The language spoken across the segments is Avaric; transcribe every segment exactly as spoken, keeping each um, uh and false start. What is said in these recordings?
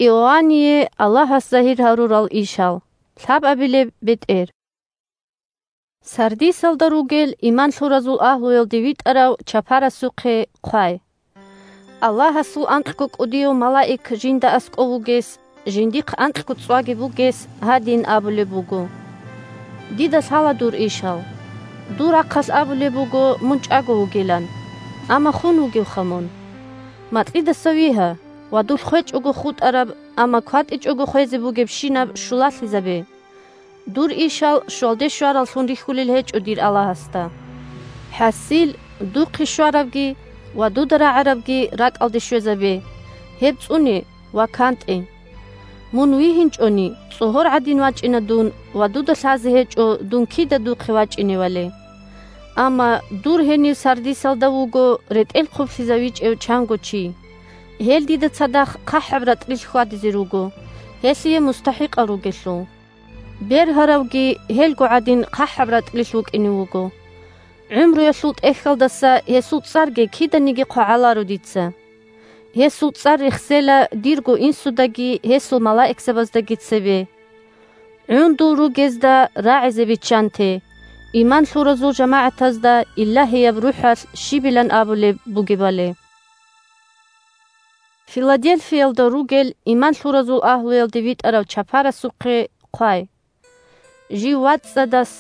Иоанние Аллагьас загьир гьарурал ишал. Лъабабилеб бетӀер. Сардисалда ругел иман лъуразул агьлуялде витӀарав чапарасухъе хъвай. Аллагьасул анкьго кӀудияв малаик жинда аскӀов вугес, жиндихъ анкьго цӀваги бугес, гьадин абулеб буго: «Дида лъала дур ишал. Дур рахъалъ абулеб буго мун чӀаго вугилан, амма хун вугевха мун. Макьидаса вигьа ва дулъ хвечӀого хутӀараб, амма кватӀичӀого хвезе бугебщинаб щулалъизабе. Дур ишал щвалде щвараллъун рихьулел гьечӀо дир Аллагьасда. ХӀасил, духъе щварабги ва дуда рагӀарабги ракӀалде щвезабе, гьеб цӀуне ва кантӀе. Мун вигьинчӀони, цӀогьор гӀадин вачӀина дун ва дуда лъазе гьечӀо дун кида духъе вачӀиневали. Амма дур гьенив Сардисалда вуго ретӀел хъублъизавичӀев чанго чи. Гьел дида цадахъ хъахӀаб ратӀлилъ хьвадизе руго, гьелъие мустахӀикъал ругелъул. Бергьаравги гьелго гӀадин хъахӀаб ратӀлилъ вукӀине вуго. ГӀумруялъул тӀехьалдаса гьесул цӀарги киданиги хъвагӀаларо дица. Гьесул цӀар рехсела дирго инсудаги гьесул малаикзабаздаги цебе. ГӀундул ругезда рагӀизе биччанте, иман лъуразул жамагӀатазда Илагьияб РухӀалъ щибилан абулеб бугебали». Филадельфиялда ругел иман лъуразул агьлуялде витӀарав чапарасухъе хъвай. Жив вацӀцӀадас,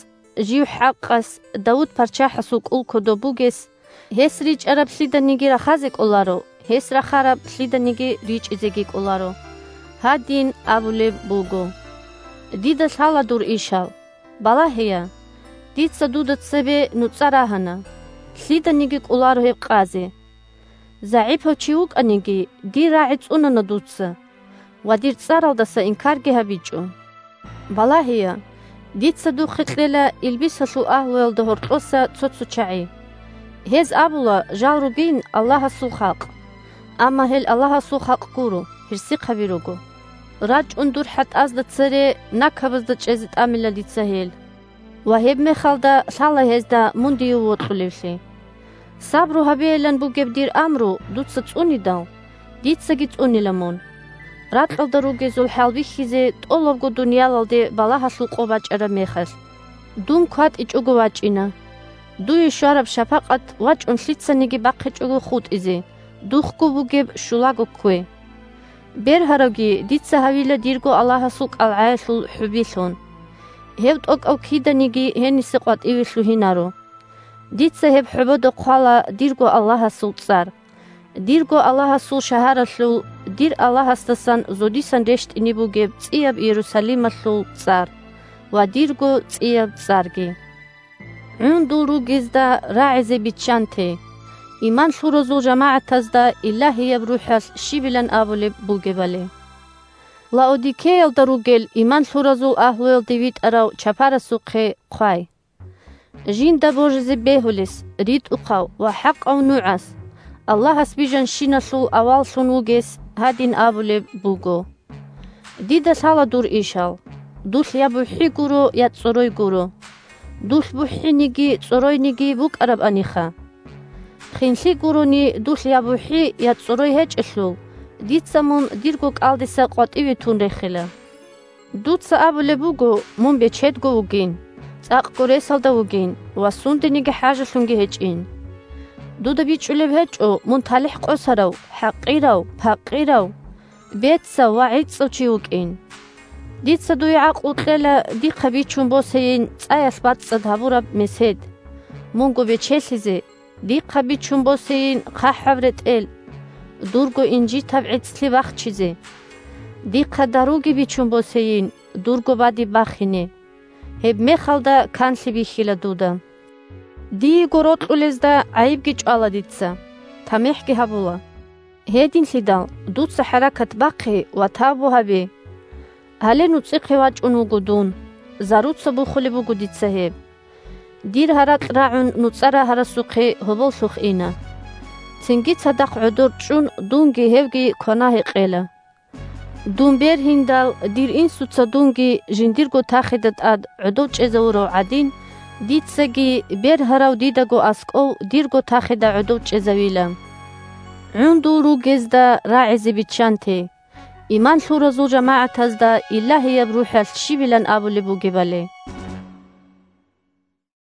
жив хӀакъас, Давуд-пачагьасул кӀул кодоб бугес, гьес ричӀараб лъиданиги рахазе кӀоларо, гьес рахараб лъиданиги ричӀизеги кӀоларо. Гьадин абулеб буго: «Дида лъала дур ишал. Балагьея, дица дуда цебе нуцӀа рагьана, лъиданиги кӀоларо гьеб къазе. ЗагӀипав чи вукӀаниги, дир рагӀи цӀунана дуца, ва дир цӀаралдаса инкарги гьабичӀо. Балагьея, дица духъе кьела илбисалъул агьлуялда гьоркьоса цо-цо чагӀи. Гьез абула, жал ругин Аллагьасул халкъ. Амма гьел Аллагьасул халкъ гуро, гьерсихъаби руго. РачӀун дур хӀатӀазда цере накабазда чӀезе тӀамила дица гьел. Ва гьебмехалда лъала гьезда мун дие вокьулевлъи. Сабру гьабейилан бугеб дир амру дуца цӀунидал, дицаги цӀунила мун. Ракьалда ругезул хӀал бихьизе тӀолабго дуниялалде балагьалъул къо бачӀараб мехалъ, дун кватӀичӀого вачӀина. Дуе щвараб шапакъат вачӀун лъицаниги бахъичӀого хутӀизе, духъго бугеб щулаго ккве. Бергьаравги дица гьавила дирго Аллагьасул кӀалгӀаялъул хӀубилъун. Гьев тӀокӀав киданиги гьениса къватӀиве лъугьинаро. Дица гьеб хӀубода хъвала дирго Аллагьасул цӀар. Дирго Аллагьасул шагьаралъул дир Аллагьасдасан зодисан рещтӀине бугеб цӀияб Иерусалималъул цӀар ва дирго цӀияб цӀарги. ГӀундул ругезда рагӀизе биччанте, иман лъуразул жамагӀатазда Илагьияб РухӀалъ щибилан абулеб бугебали. Лаодикеялда ругел иман лъуразул агьлуялде витӀарав чапарасухъе хъвай. Жинда божизе бегьулес, ритӀухъав ва хӀакъав нугӀас, Аллагьас бижанщиналъул аваллъун вугес гьадин абулеб буго: «Дида лъала дур ишал. Дулъ я бухӀи гуро, я цӀорой гуро. Дулъ бухӀиниги цӀоройниги букӀарабаниха. Хинлъи гурони дулъ я бухӀи, я цӀорой гьечӀелъул, дица мун дирго кӀалдиса къватӀиве тун рехила. Дуца абулеб буго, мун бечедго вугин, цӀакъго ресалда вугин ва сундениги хӀажалъунги гьечӀин. Дуда бичӀчӀулеб гьечӀо мун талихӀ къосарав, хӀакъирав, пакъирав, бецав ва гӀицӀав чи вукӀин. Дица дуе гӀакълу кьела дихъа бичун босейин цӀаялъ бацӀцӀад гьабураб месед, мунго бечелъизе, дихъа бичун босейин хъахӀаб ретӀел, дурго инжитаб гӀицӀлъи бахчизе. Дихъа даруги бичун босейин, дурго бадиб бахине. Гьебмехалда канлъи бихьила дуда. Диего рокьулезда гӀайибги чӀвала дица, тамихӀги гьабула. Гьединлъидал дуца хӀаракат бахъе ва тавбу гьабе. Гьале нуцӀихъе вачӀун вуго дун, заруца бухулеб буго дица гьеб. Дир гьаракь рагӀун нуцӀа рагьарасухъе гьоболлъухъ ина. Цинги цадахъ гӀодор чӀун дунги гьевги квана-гьекъела. Дун бергьиндал, дир инсуца дунги жиндирго тахида тӀад гӀодов чӀезавурав гӀадин, дицаги бергьарав дидаго аскӀов дирго тахида гӀодов чӀезавила. ГӀундул ругезда рагӀизе биччанте, иман лъуразул жамагӀатазда Илагьияб РухӀалъ щибилан абулеб бугебали.